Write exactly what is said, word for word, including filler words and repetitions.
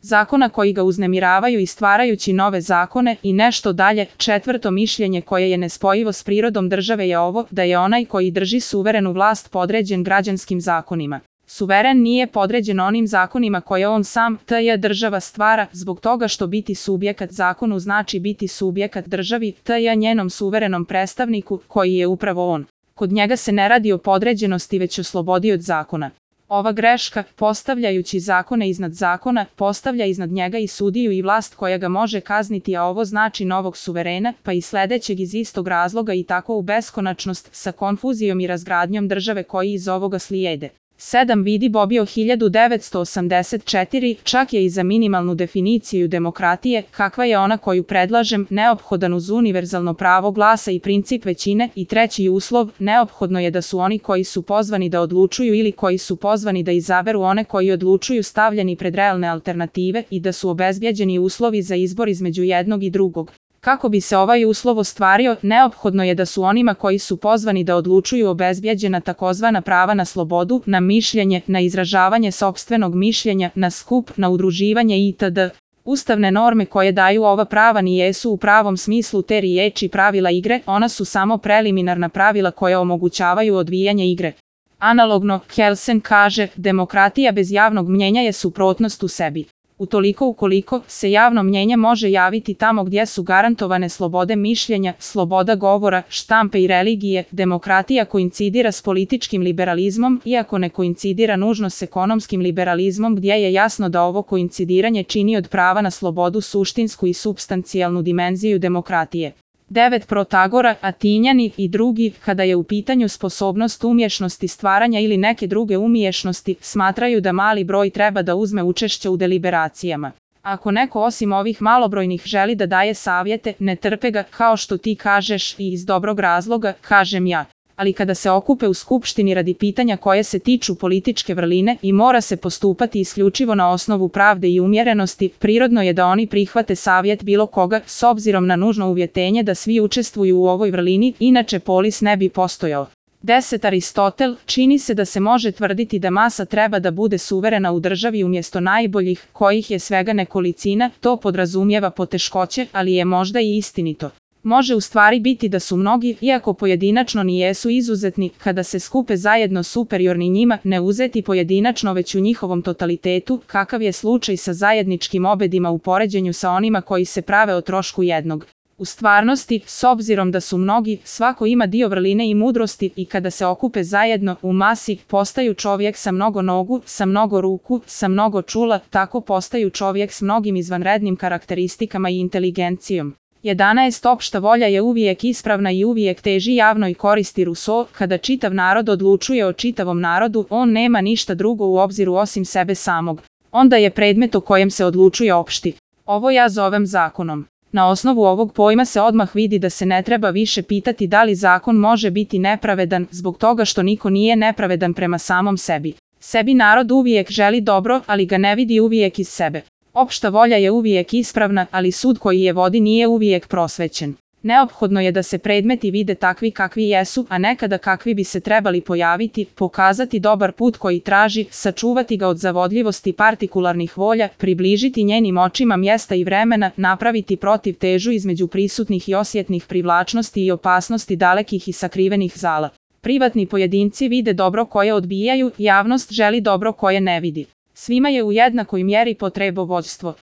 zakona koji ga uznemiravaju i stvarajući nove zakone i nešto dalje. Četvrto mišljenje koje je nespojivo s prirodom države je ovo, da je onaj koji drži suverenu vlast podređen građanskim zakonima. Suveren nije podređen onim zakonima koje on sam, tj. država stvara, zbog toga što biti subjekat zakonu znači biti subjekat državi, tj. njenom suverenom predstavniku, koji je upravo on. Kod njega se ne radi o podređenosti već o slobodi od zakona. Ova greška, postavljajući zakone iznad zakona, postavlja iznad njega i sudiju i vlast koja ga može kazniti, a ovo znači novog suverena, pa i sledećeg iz istog razloga i tako u beskonačnost, sa konfuzijom i razgradnjom države koji iz ovoga slijede. sedam Vidi Bobio hiljadu devetsto osamdeset četiri, čak je i za minimalnu definiciju demokratije, kakva je ona koju predlažem, neophodan uz univerzalno pravo glasa i princip većine, i treći uslov, neophodno je da su oni koji su pozvani da odlučuju ili koji su pozvani da izaberu one koji odlučuju stavljeni pred realne alternative i da su obezbjeđeni uslovi za izbor između jednog i drugog. Kako bi se ovaj uslov ostvario, neophodno je da su onima koji su pozvani da odlučuju obezbjeđena takozvana prava na slobodu, na mišljenje, na izražavanje sopstvenog mišljenja, na skup, na udruživanje itd. Ustavne norme koje daju ova prava nijesu u pravom smislu te riječi pravila igre, ona su samo preliminarna pravila koja omogućavaju odvijanje igre. Analogno, Kelsen kaže, demokratija bez javnog mnjenja je suprotnost u sebi. Utoliko ukoliko se javno mnjenje može javiti tamo gdje su garantovane slobode mišljenja, sloboda govora, štampe i religije, demokratija koincidira s političkim liberalizmom, iako ne koincidira nužno s ekonomskim liberalizmom gdje je jasno da ovo koincidiranje čini od prava na slobodu suštinsku i supstancijalnu dimenziju demokratije. devet Protagora, Atinjani i drugi, kada je u pitanju sposobnost umješnosti stvaranja ili neke druge umješnosti, smatraju da mali broj treba da uzme učešće u deliberacijama. Ako neko osim ovih malobrojnih želi da daje savjete, ne trpe ga, kao što ti kažeš, i iz dobrog razloga, kažem ja. Ali kada se okupe u skupštini radi pitanja koje se tiču političke vrline i mora se postupati isključivo na osnovu pravde i umjerenosti, prirodno je da oni prihvate savjet bilo koga, s obzirom na nužno uvjetenje da svi učestvuju u ovoj vrlini, inače polis ne bi postojao. deset Aristotel, čini se da se može tvrditi da masa treba da bude suverena u državi umjesto najboljih, kojih je svega nekolicina, to podrazumijeva poteškoće, ali je možda i istinito. Može u stvari biti da su mnogi, iako pojedinačno nijesu izuzetni, kada se skupe zajedno superiorni njima, ne uzeti pojedinačno već u njihovom totalitetu, kakav je slučaj sa zajedničkim obedima u poređenju sa onima koji se prave o trošku jednog. U stvarnosti, s obzirom da su mnogi, svako ima dio vrline i mudrosti i kada se okupe zajedno, u masi, postaju čovjek sa mnogo nogu, sa mnogo ruku, sa mnogo čula, tako postaju čovjek s mnogim izvanrednim karakteristikama i inteligencijom. jedanaest Opšta volja je uvijek ispravna i uvijek teži javnoj koristi. Rousseau, kada čitav narod odlučuje o čitavom narodu, on nema ništa drugo u obziru osim sebe samog. Onda je predmet o kojem se odlučuje opšti. Ovo ja zovem zakonom. Na osnovu ovog pojma se odmah vidi da se ne treba više pitati da li zakon može biti nepravedan, zbog toga što niko nije nepravedan prema samom sebi. Sebi narod uvijek želi dobro, ali ga ne vidi uvijek iz sebe. Opšta volja je uvijek ispravna, ali sud koji je vodi nije uvijek prosvećen. Neophodno je da se predmeti vide takvi kakvi jesu, a nekada kakvi bi se trebali pojaviti, pokazati dobar put koji traži, sačuvati ga od zavodljivosti partikularnih volja, približiti njenim očima mjesta i vremena, napraviti protiv težu između prisutnih i osjetnih privlačnosti i opasnosti dalekih i sakrivenih zala. Privatni pojedinci vide dobro koje odbijaju, javnost želi dobro koje ne vidi. Svima je u jednakoj mjeri potrebovođstvo.